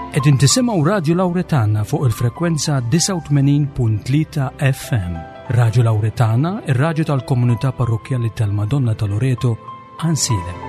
Qegħdin tisimgħu Radju Lawretana fuq il-frekwenza 89.3 FM. Radju Lawretana, ir-radju tal-komunità parrokkjali tal-Madonna ta' Loreto, Ansilem.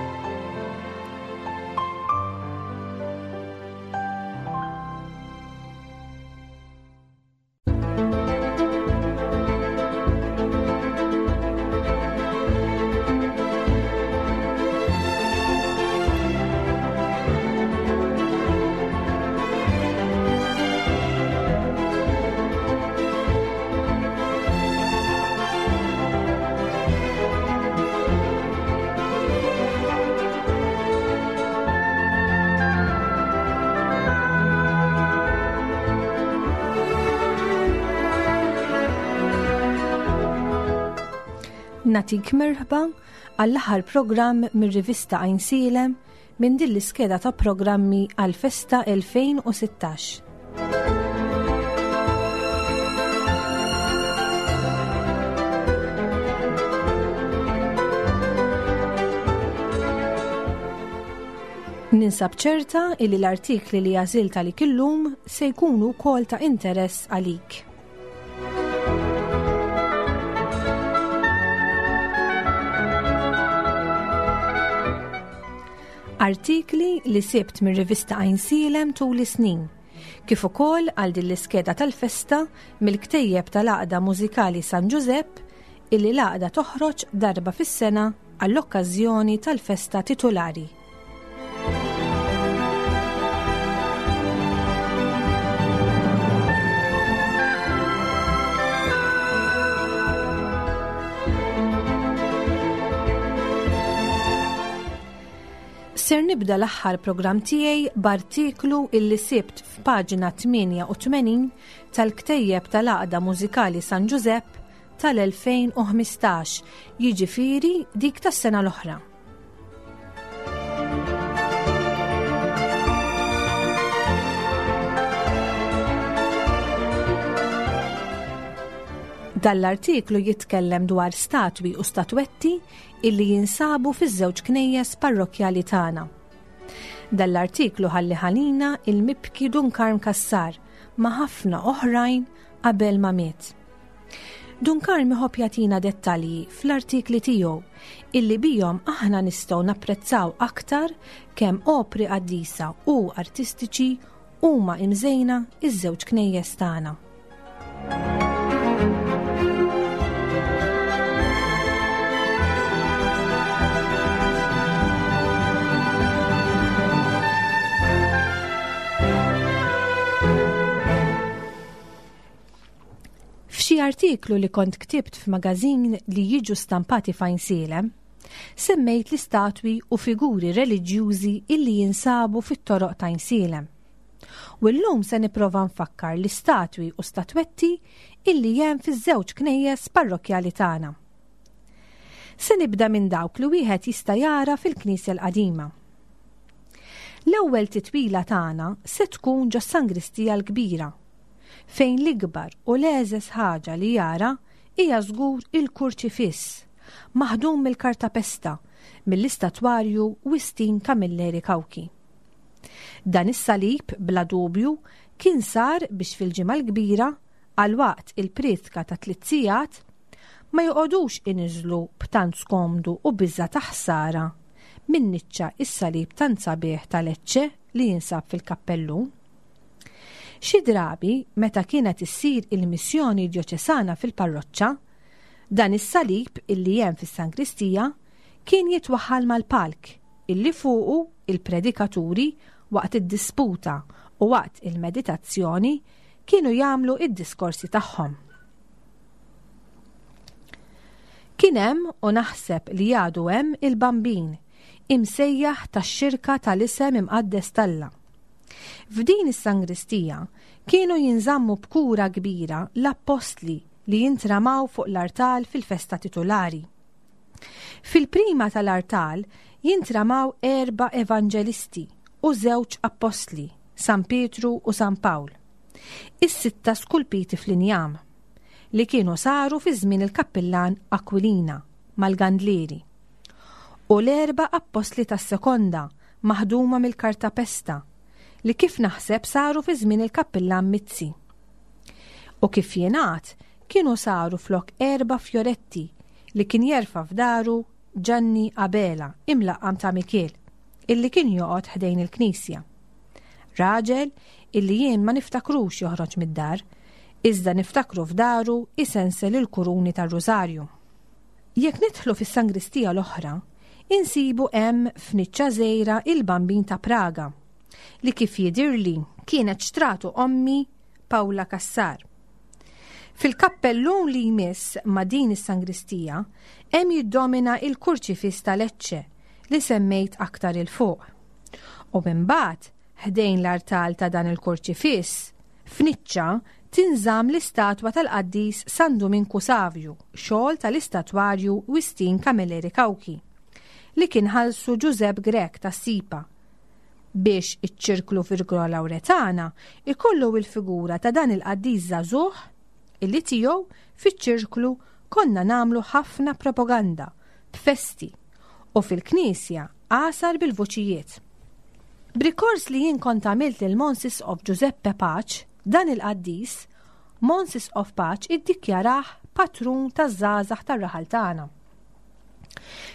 Natik merħba għall-aħħar programm mir-rivista Għajnsielem minn din l-iskeda ta' programmi għall-Festa 2016. Ninsab ċerta illi l-artikli li għażilt għalik illum se jkunu wkoll ta' interess għalik. Artikli li sibt mir-rivista Għajnsielem tul is-snin, kif ukoll għal din l-iskeda tal-festa mill-ktejjeb tal-Għaqda Mużikali San Ġużepp illi l-għaqda toħroġ darba fis-sena għall-okkażjoni tal-festa titulari. Ser nibda l-aħħar programm tiegħi b'artiklu illi sibt f'paġna 88 tal-ktejjeb tal-Għaqda Mużikali San Ġużepp tal-2015, jiġifieri dik tas-sena l-oħra. Dan l-artiklu jitkellem dwar statwi u statwetti illi jinsabu fiż-żewġ knejjes parrokkjali tagħna. Dan l-artiklu ħalli ħalina il-mibki Dun Karm Cassar ma' ħafna oħrajn qabel ma miet. Dun Karm iħobb jagħtina dettalji fl-artikli tiegħu illi bihom aħna nistgħu napprezzaw aktar kemm opri qaddisa u artistiċi huma imżejna iż-żewġ knejjes tagħna. F'xi artiklu li kont ktibt f'magażin li jiġu stampati f'Għajnsielem, semmejt l-istatwi u figuri reliġjużi illi jinsabu fit-toroq t'Għajnsielem. U llum se nipprova nfakkar l-istatwi u statwetti illi hemm fiż-żewġ knejjes parrokkjali tagħna. Se nibda minn dawk li wieħed jista' jara fil-Knisja l-Qadima. L-ewwel titwila tagħna se tkun ġos-Sangristija l-Kbira, fejn l-ikbar u l-egħżeż ħaġa li jara hija żgur il-kurċifiss, maħdum mill-kartapesta mill-istatwarju Wistin Camilleri Cauchi. Dan is-salib, bla dubju, kien sar biex fil-Ġimgħa l-Kbira, għal waqt il-prietka ta' tliet sigħat, ma joqogħdux iniżżlu b'tant skomdu u biża' ta' ħsara min-niċċa s-salib tant sabiħ ta' Lecce li jinsab fil-kappellun. Xi drabi, meta kienet issir il-missjoni djoċesana fil-parroċċa, dan is-salib illi hemm fis-sangristija kien jitwaħħal mal-palk illi fuqu il-predikaturi waqt id-disputa u waqt il-meditazzjoni kienu jagħmlu id-diskorsi tagħhom. Kien hemm u naħseb li għadu hemm il-Bambin, imsejjaħ tax-xirka tal-isem imqaddes t'Alla. F'din is-sangristija kienu jinżammu b'kura kbira l-appostli li jintramaw fuq l-artal fil-festa titulari. Fil-prima tal-artal jintramaw erba' evanġelisti u żewġ appostli, San Pietru u San Pawl, is-sitta skulpiti fl-injam, li kienu saru fi żmien il-kappillan Aquilina mal-Gandlieri, u l-erba' appostli tas-sekonda maħduma mill-kartapesta, li kif naħseb saru fi żmien il-Kappillan Mizzi. U kif jingħad, kienu saru flok erba' fjoretti li kien jerfa' f'daru Ġanni Abela, imlaqqam ta' Mikiel, illi kien joqgħod ħdejn il-knisja. Raġel illi jien ma niftakrux joħroġ mid-dar, iżda niftakru f'daru isensel il-kuruni tar-rużarju. Jekk nidħlu fis-sangristija l-oħra, insibu hemm f'niċċa żgħira il-Bambin ta' Praga, li kif jidhirli kienet xtratu ommi Pawla Cassar. Fil-kappellun li jmiss ma' din is-sangristija hemm jiddomina il-Kurċifiss ta' Lecce li semmejt aktar 'il fuq. U imbagħad, ħdejn l-artal ta' dan il-kurċifiss, f'niċċa tinżamm l-istatwa tal-qaddis San Duminku Savju, xogħol tal-istatwarju Wistin Camilleri Cauchi, li kien ħallsu Ġużepp Grech tas-Sipa, biex iċ-ċirklu Virgola Lauretana ikollu il-figura ta' dan il-qaddis żagħżugħ illi tiegħu fiċ-ċirklu konna nagħmlu ħafna propaganda b'festi u fil-knisja għasar bil-vuċijiet. B'rikors li jien kont għamilt lil Mons Isqof Giuseppe Pace, dan il-qaddis, Mons Isqof Pace iddikjarah patrun taż-żgħażagħ tar-raħal tagħna.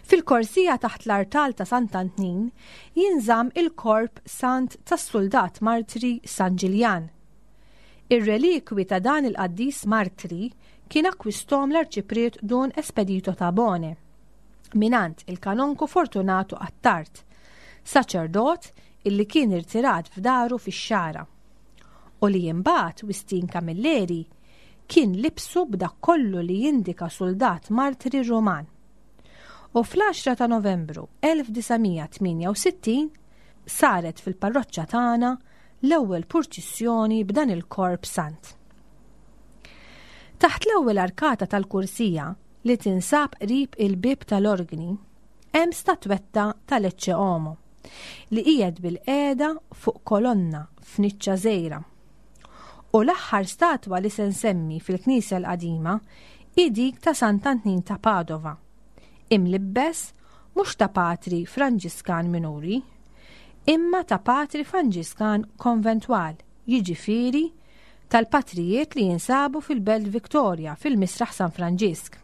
Fil-korsija taħt l-artal ta' Sant'Antnin jinżamm il-korp sant tas-suldat martri San Ġiljan. Ir-relikwi ta' dan il-qaddis martri kien akkwisthom l-Arċipriet Dun Espedito Tabone mingħand il-Kanonku Fortunato Attard, saċerdot illi kien irtirat f'daru fix-Xagħra u li imbagħad Wistin Camilleri kien libsu b'dak kollu li jindika suldat martri Ruman. U fl-10 ta' Novembru 1968 saret fil-parroċċa tagħna l-ewwel purċissjoni b'dan il-korp sant. Taħt l-ewwel arkata tal-kursija li tinsab qrib il-bieb tal-orgni hemm statwetta tal-Ecce Homo li qiegħed bilqiegħda fuq kolonna f'niċċa żgħira. U l-aħħar statwa li se nsemmi fil-knisja l-qadima hi dik ta' Sant'Antnin ta' Padova, imlibbes mhux ta' patri Franġiskan minuri, imma ta' patri Franġiskan konventwal, jiġifieri tal-patrijiet li jinsabu fil-Belt Victoria fil-Misraħ San Franġisk.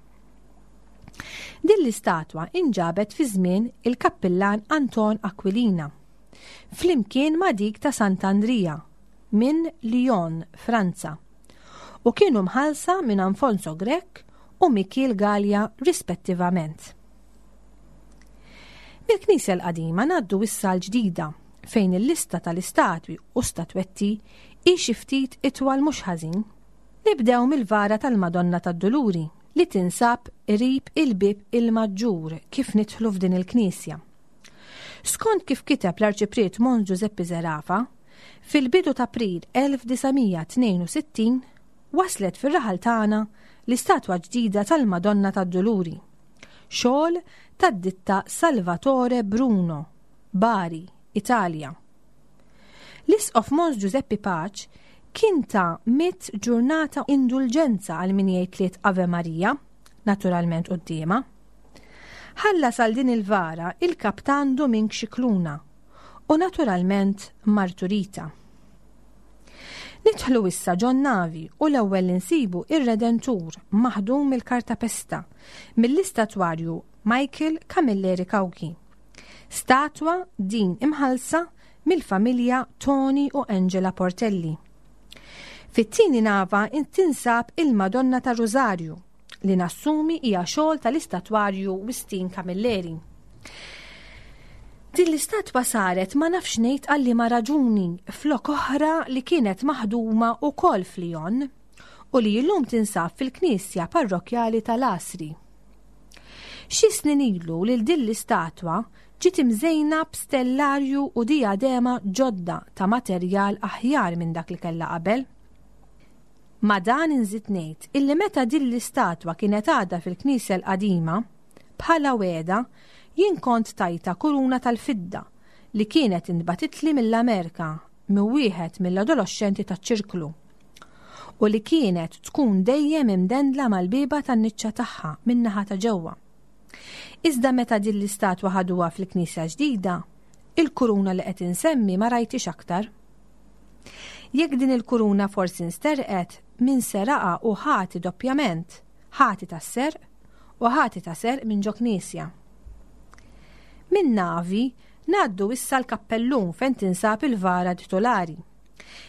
Din l-istatwa inġabet fi żmien il-Kappillan Anton Aquilina, flimkien ma' dik ta' Sant'Andrija, minn Lyon, Franza, u kienu mħallsa minn Anfonso Grech u Mikiel Galea rispettivament. Mill-knisja l-qadima ngħaddu issa għall-ġdida, fejn il-lista tal-istatwi u statwetti hi xi ftit itwal mhux ħażin. Nibdew mill-vara tal-Madonna tad-Duluri li tinsab qrib il-bieb il-Maġġur kif nidħlu f'din il-knisja. Skont kif kiteb l-Arċipriet Mons Ġużeppi Zerafa, Fil-bidu t'April 1962 waslet fir-raħal tagħna l-istatwa ġdida tal-Madonna tad-Duluri, xogħol tad-ditta Salvatore Bruno, Bari, Italja. L-Isqof Mons Ġużeppi Pace kien ta mitt ġurnata indulġenza għal min jgħid tliet Ave Maria, naturalment quddiemha. Ħallas għal din il-vara il-Kaptan Dumink Scicluna, u naturalment martu Rita. Nidħlu issa ġon navi u l-ewwel li nsibu ir-Redentur maħdum mill-kartapesta mill-istatwarju Michael Camilleri Cauchi. Statwa din imħallsa mill-familja Tony u Angela Portelli. Fit-tieni nava tinsab il-Madonna ta' Rużarju li nassumi hija xogħol tal-istatwarju Wistin Camilleri. Din l-istatwa saret ma nafx ngħid għal liema raġuni flok oħra li kienet maħduma wkoll f'Lyon u li llum tinsab fil-knisja parrokkjali tal-Għasri. Xi snin ilu lil din l-istatwa ġiet imżejna b'stellarju u dijadema ġodda ta' materjal aħjar minn dak li kellha qabel. Ma' dan inżid ngħid illi meta din l-istatwa kienet għadha fil-knisja l-qadima, bħala wegħda, jien kont tajtha kuruna tal-fidda li kienet intbagħtitli mill-Amerika minn wieħed mill-adoloxxenti taċ-ċirklu u li kienet tkun dejjem imdendla mal-bieba tan-niċċa tagħha min-naħa ta' ġewwa. Iżda meta din l-istatwa ħaduha fil-knisja ġdida, il-kuruna li qed insemmi ma rajthiex aktar. Jekk din il-kuruna forsi nsterqet, min seraqha hu ħati doppjament, ħati tas-serq u ħati ta' serq minn ġo knisja. Minn Navi ngħaddu issa l-kappellun fejn tinsab il-vara titolari.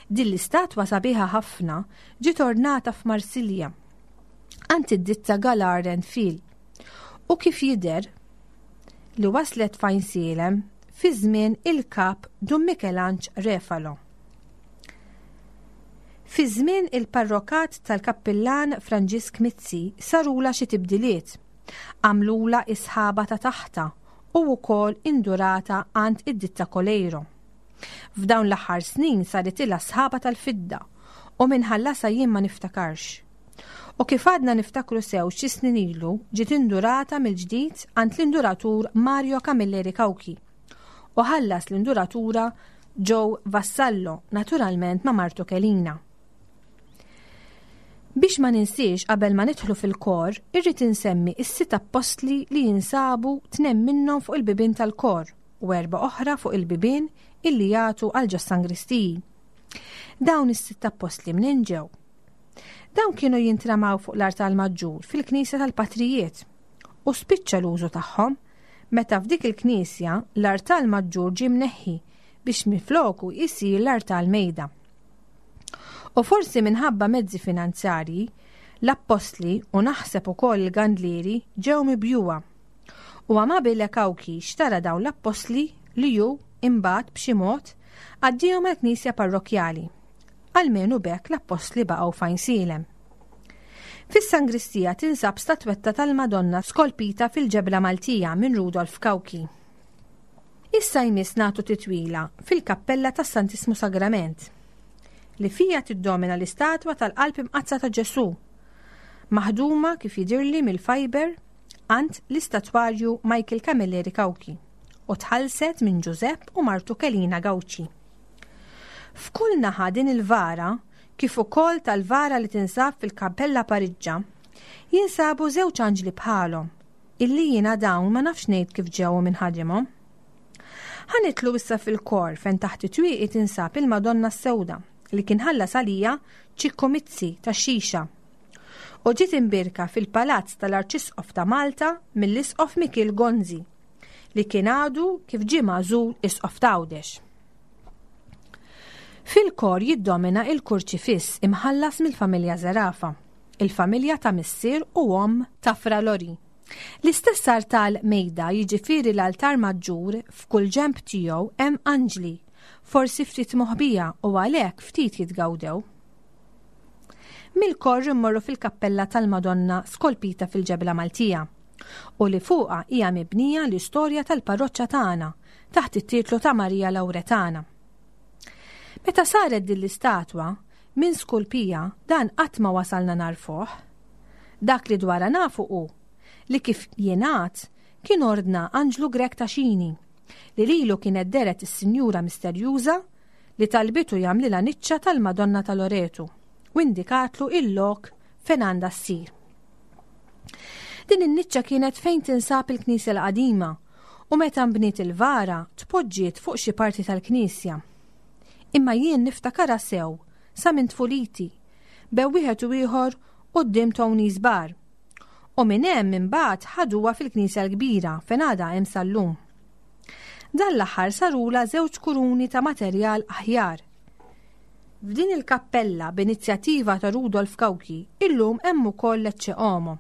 Din l-istatwa sabiħa ħafna ġiet ornata f'Marsilja għand id-ditta Galard and Fil u kif jidher li waslet f'Għajnsielem fi żmien il-Kap Dun Mikelanġ Refalo. Fi żmien il-parrokat tal-Kappillan Franġisk Mizzi sarulha xi tibdiliet. Għamlulha is-sħaba ta' taħtha u wkoll indurata għand id-ditta Coleiro. F'dawn l-aħħar snin saritilha sħaba tal-fidda u min ħallasha jien ma niftakarx. U kif għadna niftakru sew xi snin ilu ġiet indurata mill-ġdid għand l-induratur Mario Camilleri Cauchi u ħallas l-induratura Joe Vassallo, naturalment ma' martu Kelina. Biex ma ninsiex qabel ma nidħlu fil-kor, irrid insemmi s-sitt appostli li jinsabu tnem minnhom fuq il-bibien tal-kor u erba' oħra fuq il-bibien illi jagħtu għal ġos-sangristiji. Dawn is-sitt appostli mnejn ġew? Dawn kienu jintramaw fuq l-artal maġġur fil-knisja tal-patrijiet u spiċċa l-użu tagħhom meta f'dik il-knisja l-artal maġġur ġie mneħħi biex minfloku jsir l-artal mejda. U forsi minħabba mezzi finanzjarji, l-appostli u naħseb ukoll il-gandlieri ġew mibjugħa. U Amabile Cauchi xtara dawn l-appostli li hu imbagħad b'xi mod għaddihom għall-knisja parrokkjali. Almenu b'hekk l-appostli baqgħu f'Għajnsielem. Fis-sangristija tinsab statwetta tal-Madonna skolpita fil-ġebla Maltija minn Rudolf Cauchi. Issa jmiss nagħtu titwila fil-kappella tas-Santissmu Sagrament, li fiha tiddomina l-istatwa tal-Qalb Imqaddsa ta' Ġesù, maħduma kif jidhirli mill-fiber għand l-istatwarju Michael Camilleri Cauchi u tħallset minn Ġużepp u martu Kelina Gauci. F'kull naħa din il-vara, kif ukoll tal-vara li tinsab fil-Kappella Pariġġa, jinsabu żewġ anġli bħalhom, illi jiena dawn ma nafx ngħid kif ġew u min ħadimhom. Ħa nidħlu issa fil-kor fejn taħt it-twieqi tinsab il-Madonna s-Sewda li kien ħallas għalija Ċikku Mizzi tax-Xixa u ġiet imbierka fil-Palazz tal-Arċisqof ta' Malta mill-Isqof Mikiel Gonzi li kien għadu kif ġie magħżul Isqof t'Għawdex. Fil-kor jiddomina il-kurċifiss imħallas mill-familja Zerafa, il-familja ta' missier u omm ta' Fra Lori. L-istess artal mejda jiġifieri l-altar maġġur f'kull ġenb tiegħu hemm anġli, forsi ftit moħbija u għalhekk ftit jitgawdew. Mill-kor immorru fil-kappella tal-Madonna skolpita fil-ġebla Maltija u li fuqha hija mibnija l-istorja tal-parroċċa tagħna taħt it-titlu ta' Marija Lawretana. Meta saret din l-istatwa, min skulpija dan qatt ma wasalna nagħrfuh. Dak li dwarha nafu hu li kif jingħad kien ordna Anġlu Grech ta' Xini li lilu kienet dehret is-Sinjura Misterjuża li talbitu jagħmlilha niċċa tal-Madonna ta' Loretu u indikatlu il-lok fejn għandha ssir. Din in-niċċa kienet fejn tinsab il-knisja l-qadima u meta nbniet il-vara tpoġġiet fuq xi parti tal-knisja. Imma jien niftakarha sew sa minn tfuliti, bew wieħed u ieħor quddiem Tony's Bar. U minn hemm imbagħad ħaduha fil-knisja l-kbira fejn għadha hemm sal-lum. Dan l-aħħar sarulha żewġ kuruni ta' materjal aħjar. F'din il-kappella b'inizjattiva ta' Rudolf Cauchi illum hemm ukoll l-Ecce Homo,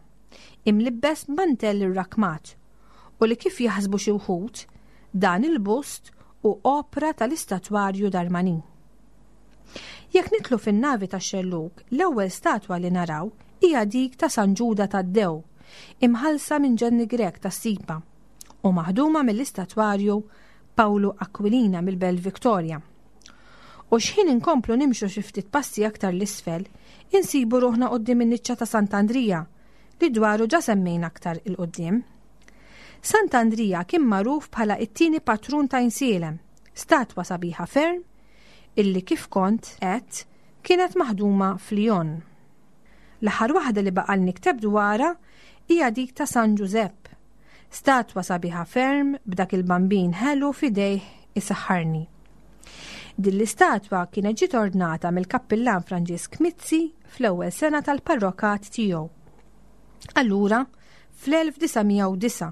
imlibbes b'mantell irrakkmat, u li kif jaħsbu xi wħud, dan il-bust hu opra tal-istatwarju Darmanin. Jekk nidħlu fin-navi tax-xellug, l-ewwel statwa li naraw hija dik ta' San Ġuda Taddew, imħallsa minn Ġanni Grech tas-Sipa u maħduma mill-istatwarju Pawlu Aquilina mill-Belt Victoria. U xħin inkomplu nimxu xi ftit passi aktar 'l isfel, insibu ruħna quddiem in-niċċa ta' Sant'Andrija, li dwaru ġa semmejna aktar 'il quddiem. Sant'Andrija kien magħruf bħala t-tieni patrun ta' Għajnsielem, statwa sabiħa ferm illi kif kont għedt kienet maħduma f'Lyon. L-aħħar waħda li baqal nikteb dwarha hija dik ta' San Ġużepp. Statwa sabiħa ferm b'dak il-bambin ħelu f'idejh isaħħarni. Din l-istatwa kienet ġiet ordnata mill-Kappillan Franġisk Mizzi fl-ewwel sena tal-parrokat tiegħu. Allura, fl-1909,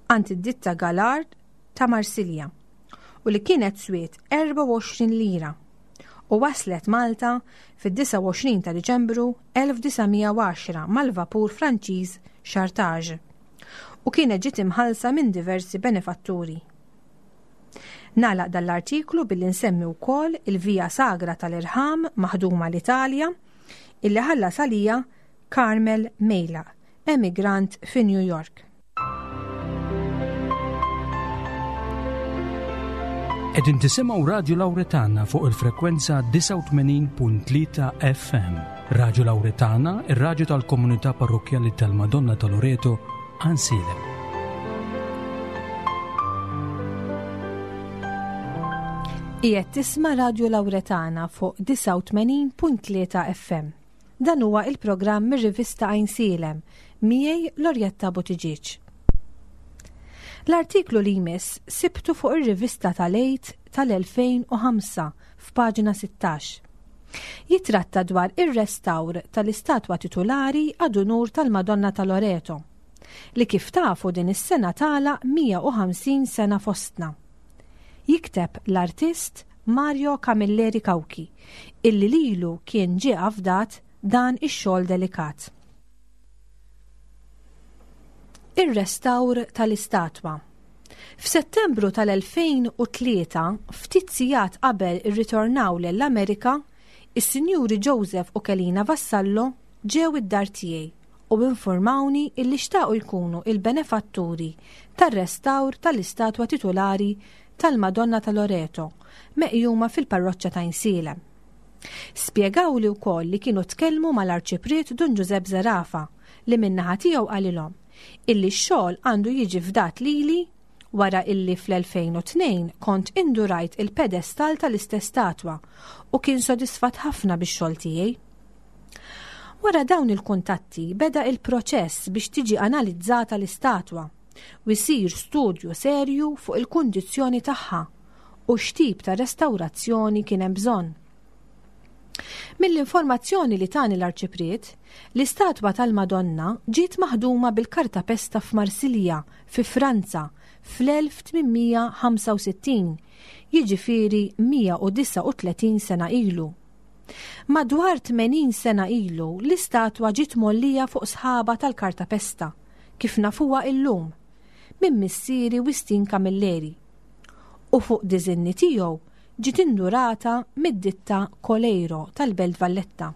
għand id-ditta Galard ta' Marsilja u li kienet swiet 24 lira u waslet Malta fid-29 ta' Diċembru 1910 mal-vapur Franċiż Chartage u kienet ġiet imħallsa minn diversi benefatturi. Nagħlaq dan l-artiklu billi nsemmi wkoll il-Via Sagra tal-Irħam maħduma l-Italja illi ħallas għalija Carmel Mejlaq, emigrant fi New York. Qegħdin tisimgħu Radju Lawretana fuq il-frekwenza 89.3 FM. Radju Lawretana, ir-radju tal-komunità parrokkjali tal-Madonna ta' Loreto, Għansielem. Qiegħed tisma' Radju Lawretana fuq 89.3 FM. Dan huwa il-programm mir-rivista Għajnsielem, miegħi Lorjetta Buttigieg. L-artiklu li jmiss sibtu fuq ir-rivista tal-Għid tal-2005 f'paġna 16. Jitratta dwar ir-restawr tal-istatwa titulari ad unur tal-Madonna ta' Loreto, li kif tafu din is-sena tagħlaq 150 sena fostna. Jikteb l-artist Mario Camilleri Cauchi, illi lilu kien ġie afdat dan ix-xogħol delikat. Ir-restawr tal-istatwa. F'Settembru tal-2003, ftit sigħat qabel irritornaw lejn l-Amerika, is-Sinjuri Joseph u Kelina Vassallo ġew id-dar tiegħi u infurmawni illi xtaqu jkunu il-benefatturi tar-restawr tal-istatwa titulari tal-Madonna ta' Loreto meqjuma fil-parroċċa ta' Għajnsielem. Spjegawli wkoll li kienu tkellmu mal-Arċipriet Dun Ġużepp Zerafa li min-naħa tiegħu qalilhom illi x-xogħol għandu jiġi fdat lili wara illi fl-2002 kont indurajt il-pedestall tal-istess statwa u kien sodisfatt ħafna bix-xogħol tiegħi. Wara dawn il-kuntatti beda il-proċess biex tiġi analizzata l-istatwa u jsir studju serju fuq il-kundizzjoni tagħha u x'tip ta' restawrazzjoni kien hemm bżonn. Mill-informazzjoni li tani l-Arċipriet, l-istatwa tal-Madonna ġiet maħduma bil-kartapesta f'Marsilja, fi Franza, fl-1865, jiġifieri 139 sena ilu. Madwar 80 sena ilu l-istatwa ġiet mgħollija fuq sħaba tal-kartapesta, kif nafuha illum, minn missieri Wistin Camilleri, u fuq diżinni tiegħu ġiet indurata mid-ditta Coleiro tal-Belt Valletta.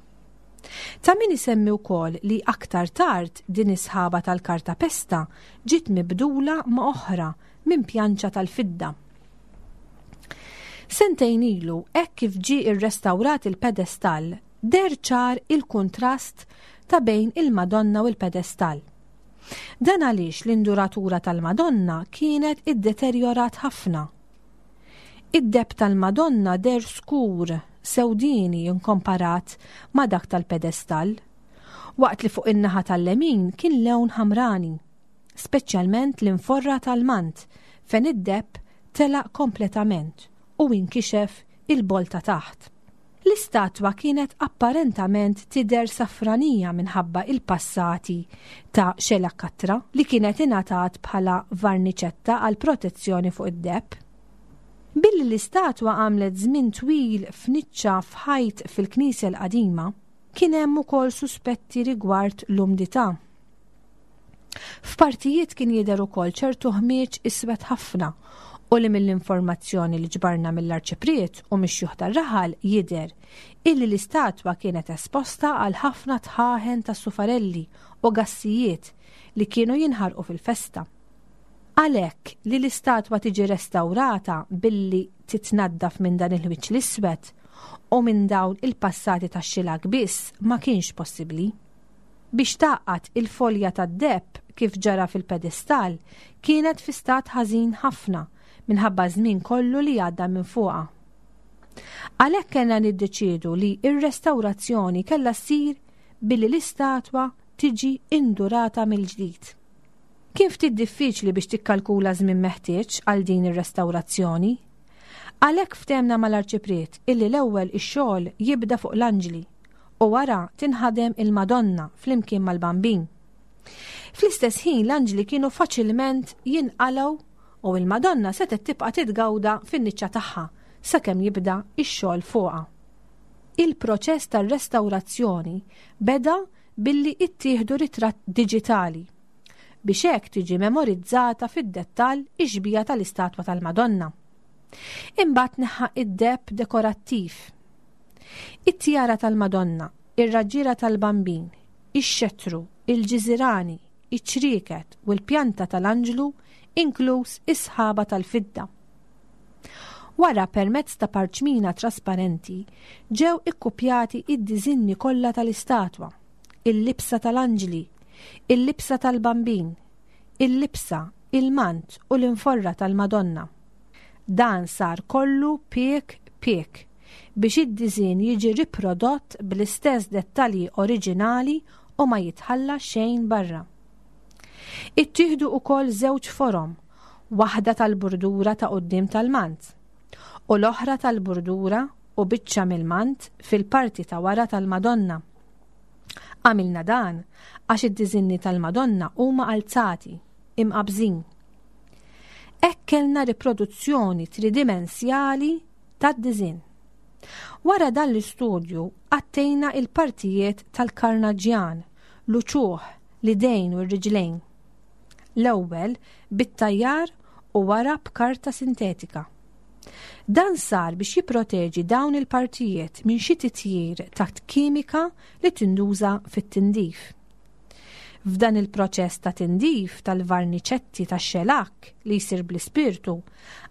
Ta' min isemmi wkoll li aktar tard din is-sħaba tal-kartapesta ġiet mibdula ma' oħra minn pjanċa tal-fidda. Sentejn ilu, hekk kif ġie rrestawrat il-pedestall, deher ċar il-kuntrast ta' bejn il-Madonna u l-pedestall. Dan għaliex l-induratura tal-Madonna kienet iddeterjorat ħafna. Id-deheb tal-Madonna deher skur, sewdieni inkomparat ma' dak tal-pedestall, waqt li fuq in-naħa tal-lemin kien lewn ħamrani, speċjalment l-inforra tal-mant fejn id-deheb telaq kompletament u inkixef il-bol ta' taħt. L-istatwa kienet apparentament tidher safranija minħabba il-passati ta' xelakatra li kienet ingħatat bħala varniċetta għal protezzjoni fuq id-deheb. Billi l-istatwa għamlet żmien twil f'niċċa f'ħajt fil-knisja l-qadima, kien hemm ukoll suspetti rigward l-umdità. F'partijiet kien jidher ukoll ċertu ħmieġ iswed ħafna u li mill-informazzjoni li ġbarna mill-Arċipriet u mix-xjuħ tar-raħal jidher illi l-istatwa kienet esposta għal ħafna dħaħen ta' sufarelli u gassijiet li kienu jinħarqu fil-festa. Għalhekk li l-istatwa tiġi restawrata billi titnaddaf minn dan il-ħwieġ l-iswed u minn dawn il-passati tax-xilak biss ma kienx possibbli. Biex tgħaqqad il-folja tad-deheb kif ġara fil-pedestall kienet fi stat ħażin ħafna minħabba ż-żmien kollu li għadda minn fuqha. Għalhekk kellna niddeċiedu li r-restawrazzjoni kellha ssir billi l-istatwa tiġi indurata mill-ġdid. Kien ftit diffiċli biex tikkalkula ż-żmien meħtieġ għal din ir-restawrazzjoni. Għalhekk ftehmna mal-Arċipriet illi l-ewwel ix-xogħol jibda fuq l-anġli u wara tinħadem il-Madonna flimkien mal-Bambin. Fl-istess ħin l-anġli kienu faċilment jinqalgħu u l-Madonna setgħet tibqa' titgawda fin-niċċa tagħha sakemm jibda x-xogħol fuqha. Il-proċess tar-restawrazzjoni beda billi ittieħdu ritratt diġitali biex hekk tiġi memorizzata fid-dettall ix-xbieha tal-istatwa tal-Madonna. Imbagħad neħħa id-deheb dekorattiv. It-tjara tal-Madonna, ir-raġġiera tal-Bambin, ix-xettru, il-ġiżirani, iċ-ċrieket u l-pjanta tal-anġlu inkluż is-sħaba tal-fidda. Wara permezz ta' parċmina trasparenti ġew ikkupjati id-diżinni kollha tal-istatwa, il-libsa tal-anġli, il-libsa tal-Bambin, il-libsa, il-mant u l-inforra tal-Madonna. Dan sar kollu piek piek biex id-diżinn jiġi riprodott bl-istess dettalji oriġinali u ma jitħalla xejn barra. Ittieħdu ukoll żewġ forom, waħda tal-burdura ta' quddiem tal-mant u l-oħra tal-burdura u biċċa mill-mant fil-parti ta' wara tal-Madonna. Għamilna dan għax id-diżinni tal-Madonna huma alzati, imqabbżin. Hekk kellna riproduzzjoni tridimensjali tad-diżinn. Wara dan l-istudju għattejna il-partijiet tal-karnaġġjan, l-uċuħ, l-idejn u r-riġlejn. L-ewwel bit-tajjar u wara b'karta sintetika. Dan sar biex jipproteġi dawn il-partijiet minn xi titjir ta' kimika li tinduża fit-tindif. F'dan il-proċess ta' tindif tal-varniċetti tax-xelakk li jsir bl-ispirtu,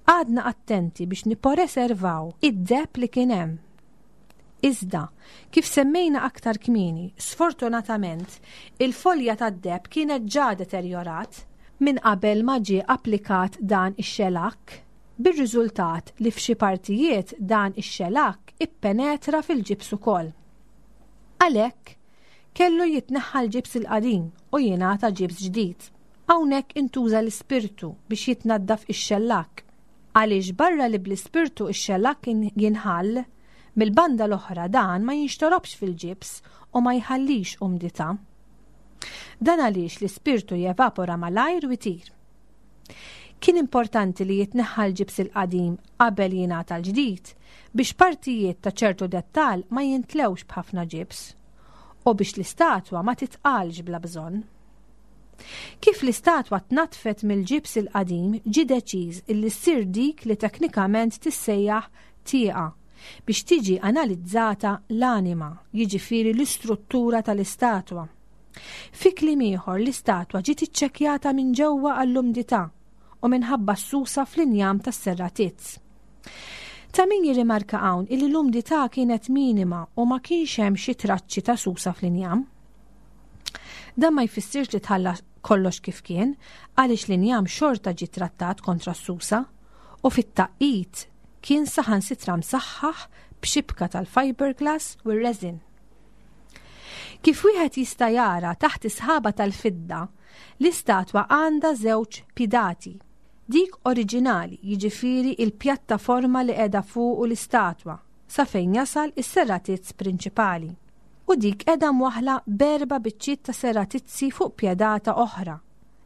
qgħadna attenti biex nipporeservaw id-deheb li kien hemm. Iżda, kif semmejna aktar kmieni, sfortunatament, il-folja tad-deheb kienet ġa deterjorat minn qabel ma ġie applikat dan ix-xelakk, bir-riżultat li f'xi partijiet dan ix-xelakk ippenetra fil-ġibs ukoll. Għalhekk, kellu jitneħħa l-ġibs il-qadim u jingħata ġibs ġdid. Hawnhekk intuża l-ispirtu biex jitnaddaf ix-xellakk. Għaliex barra li bl-ispirtu x-xellakk jinħall, mill-banda l-oħra dan ma jinxtorobx fil-ġibs u ma jħallix umdità. Dan għaliex l-ispirtu jevapora malajr u jtir. Kien importanti li jitneħħa l-ġibs il-qadim qabel jingħata l-ġdid biex partijiet ta' ċertu dettall ma jintlewx b'ħafna ġibs u biex l-istatwa ma titqalx bla bżonn. Kif l-istatwa tnaddfet mill-ġibs il-qadim ġie deċiż illi ssir dik li teknikament tissejjaħ tieqa biex tiġi analizzata l-anima, jiġifieri l-istruttura tal-istatwa. Fi kliem ieħor l-istatwa ġiet iċċekkjata minn ġewwa għall-umdità u minħabba s-susa fl-injam tas-serratizz. Ta' min jirrimarka hawn illi l-umdità kienet minima u ma kienx hemm xi traċċi ta' susa fl-injam. Dan ma jfissirx li tħalla kollox kif kien, għaliex l-injam xorta ġie trattat kontra s-susa u fit-tagħqid kien saħansitra msaħħaħ b'xibka tal-fiberglass u r-resin. Kif wieħed jista' jara taħt is-sħaba tal-fidda, l-istatwa għandha żewġ pidati. Dik oriġinali, jiġifieri il-pjattaforma li qiegħda fuqu l-istatwa, sa fejn jasal is-serratizz prinċipali. U dik qiegħda mwaħħla b'erba' biċċiet ta' serratizzi fuq pjedata oħra,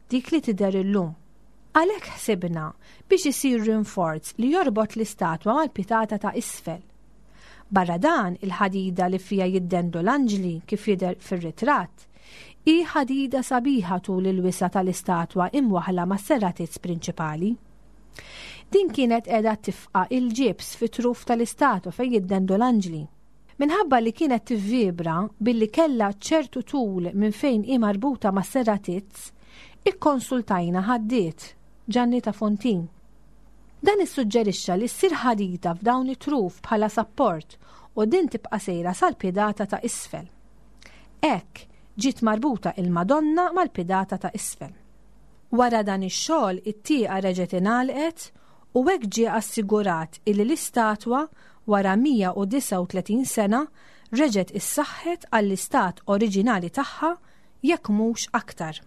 dik li tidher illum. Għalhekk ħsibna biex isir rinforz li jorbot l-istatwa mal-pitata ta' isfel. Barra dan, il-ħadida li fiha jiddendu l-anġli, kif jidher fir-ritratt, hi ħadida sabiħa tul il-wisa' tal-istatwa imwaħħla mas-serratizz prinċipali. Din kienet qiegħda tifqa' il-ġibs fit-truf tal-istatwa fejn jiddendu l-anġli. Minħabba li kienet tivvibra billi kellha ċertu tul minn fejn hi marbuta mas-serratizz, ikkonsultajna ħaddied, Ġanni ta' Fontin. Dan issuġġerixxa li ssir ħadida f'dawn it-truf bħala sapport u din tibqa' sejra sal-piedata ta' isfel. Hekk, ġiet marbuta il-Madonna mal-piedata ta' isfel. Wara dan ix-xogħol it-tieqa reġgħet ingħalqet u hekk ġie assigurat illi l-istatwa wara 139 sena reġgħet issaħħet għall-istat oriġinali tagħha jekk mhux aktar.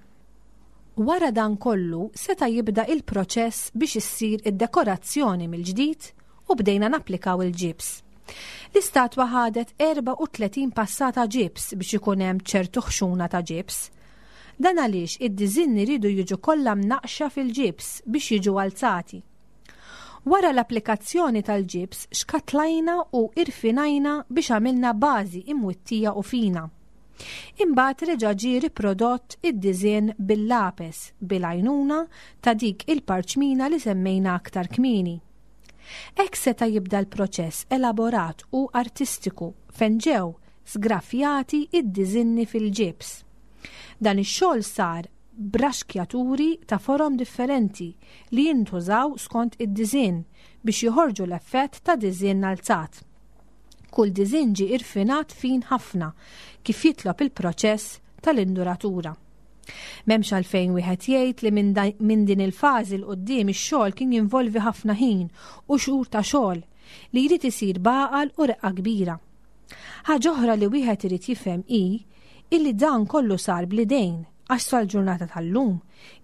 Wara dan kollu seta' jibda il-proċess biex issir id-dekorazzjoni mill-ġdid u bdejna napplikaw il-ġibs. L-istatwa ħadet 34 passata ġibs biex ikun hemm ċertu ħxuna ta' ġibs. Dan għaliex id-diżinni riedu jiġu kollha mnaqqxa fil-ġibs biex jiġu alzati. Wara l-applikazzjoni tal-ġibs xkatlajna u irfinajna biex għamilna bażi imwittija u fina. Imbagħad reġa' ġie riprodott id-diżinn bil-lapes bil-għajnuna ta' dik il-parċmina li semmejna aktar kmieni. Hekk seta' jibda l-proċess elaborat u artistiku fejn ġew sgraffjati d-diżinni fil-ġibs. Dan ix-xogħol sar b'raxkjaturi ta' forom differenti li jintużaw skont id-diżinn biex joħorġu l-effett ta' diżinn alzat. Kull diżinn ġie irfinat fin ħafna kif jitlob il-proċess tal-induratura. M'hemmx għalfejn wieħed jgħid li minn din il-fażi 'l quddiem ix-xogħol kien jinvolvi ħafna ħin u xhur ta' xogħol li jrid isir b'għaqal u reqqa kbira. Ħaġa oħra li wieħed irid jifhem hi illi dan kollu sar bl-idejn għax sal-ġurnata tal-lum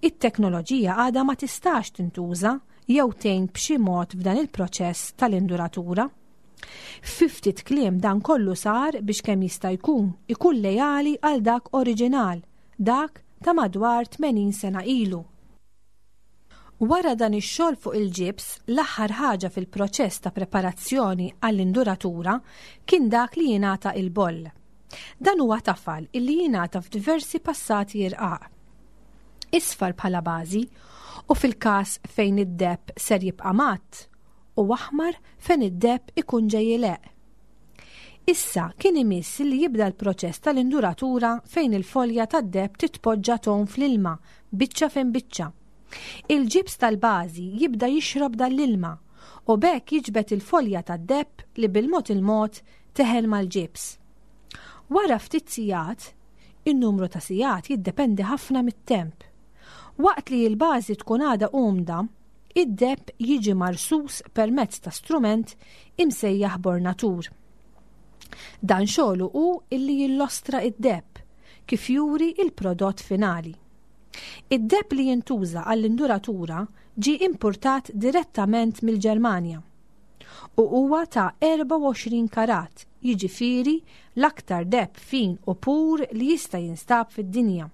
it-teknoloġija għadha ma tistax tintuża jew tgħin b'xi mod f'dan il-proċess tal-induratura. Fi ftit kliem dan kollu sar biex kemm jista' jkun ikun leali għal dak oriġinal, dak ta' madwar 80 sena ilu. Wara dan ix-xogħol fuq il-ġibs, l-aħħar ħaġa fil-proċess ta' preparazzjoni għall-induratura kien dak li jingħata il-boll. Dan huwa tafal illi jingħata f'diversi passati irqaq. Isfar bħala bażi u fil-każ fejn id-deheb ser jibqa' matt, u aħmar fejn id-deheb ikun ġej ileqq. Issa kien imiss li jibda l-proċess tal-induratura fejn il-folja tad-deheb titpoġġa tgħum fl-ilma biċċa fejn biċċa. Il-ġibs tal-bażi jibda jixrob dan l-ilma u b'hekk jiġbed il-folja tad-deheb li bil-mod il-mod teħel mal-ġibs. Wara ftit sigħat, in-numru ta' sigħat jiddependi ħafna mit-temp. Waqt li l-bażi tkun għadha umda, Id-deheb jiġi marsus permezz ta' strument imsejjaħ bornatur. Dan xogħlu hu illi jillostra id-deheb, kif juri il-prodott finali. Id-deheb li jintuża għall-induratura ġie impurtat direttament mill-Ġermanja u huwa ta' 24 karat, jiġifieri l-aktar deheb fin u pur li jista' jinstab fid-dinja.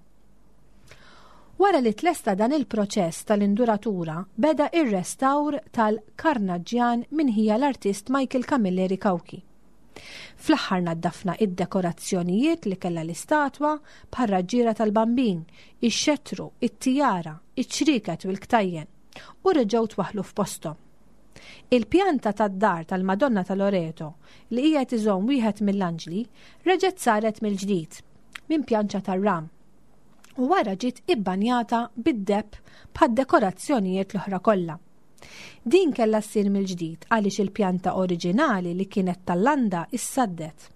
Wara li tlesta dan il-proċess tal-induratura beda ir-restawr tal-karnaġġjan minn ħija l-artist Michael Camilleri Cauchi. Fl-aħħar naddafna id-dekorazzjonijiet li kellha l-istatwa bħar-raġġiera tal-Bambin, ix-xettru, it-tijara, iċ-ċrieket u l-ktajjen u reġgħu twaħħlu f'posthom. Il-pjanta tad-dar tal-Madonna ta' Loreto li qiegħed iżomm wieħed mill-anġli reġgħet saret mill-ġdid minn pjanċa tar-ram u wara ġiet ibbanjata bid-deheb bħad-dekorazzjonijiet l-oħra kollha. Din kellha ssir mill-ġdid għaliex il-pjanta oriġinali li kienet tal-landa issaddet.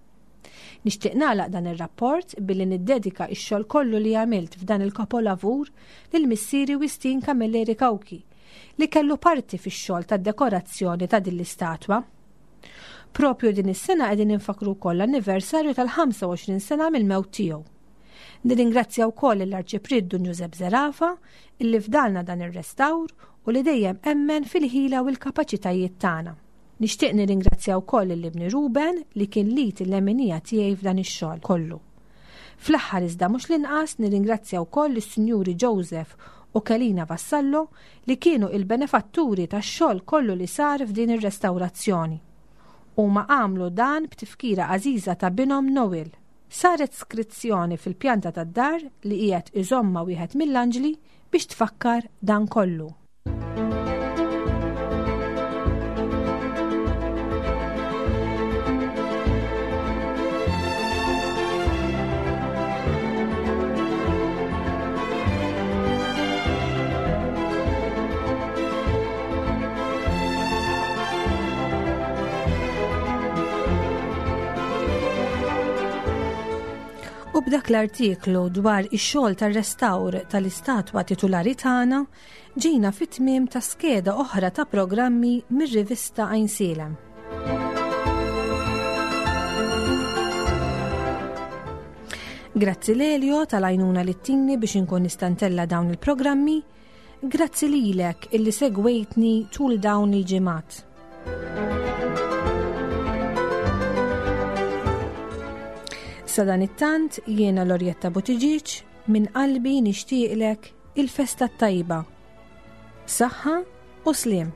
Nixtieq nagħlaq dan ir-rapport billi niddedika x-xogħol kollu li għamilt f'dan il-kapolavur lil missieri Wistin Camilleri Cauchi li kellu parti fix-xogħol tad-dekorazzjoni ta' din l-istatwa. Propju din is-sena qegħdin infakkru wkoll l-anniversarju tal-25 sena mill-mewt tiegħu. Nirringrazzja wkoll lill-Arċipriet Dun Ġużepp Zerafa illi fdalna dan ir-restawr u li dejjem emmen fil-ħila u l-kapaċitajiet tagħna. Nixtieq nirringrazzja wkoll lil ibni Ruben li kien l-id il-leminija tiegħi f'dan ix-xogħol kollu. Fl-aħħar iżda mhux l-inqas nirringrazzja wkoll lis-Sinjuri Joseph u Kelina Vassallo li kienu il-benefatturi tax-xogħol kollu li sar f'din ir-restawrazzjoni. Huma għamlu dan b'tifkira għażiża ta' binhom Noel. Saret skrizzjoni fil-pjanta tad-dar li qiegħed iżommha wieħed mill-anġli biex tfakkar dan kollu. U b'dak l-artiklu dwar ix-xogħol tar-restawr tal-istatwa titulari tagħna ġejna fit-tmiem ta' skeda oħra ta' programmi mir-rivista Għajnsielem. Grazzi Lelio tal-għajnuna li ttini biex inkun nista' ntella' dawn il-programmi. Grazzi lilek illi segwejtni tul dawn il-ġimgħat. Sadanittant jiena Lorjetta Buttigieg minn qalbi nixtieqlek il-festa t-tajba. Saħħa u sliem.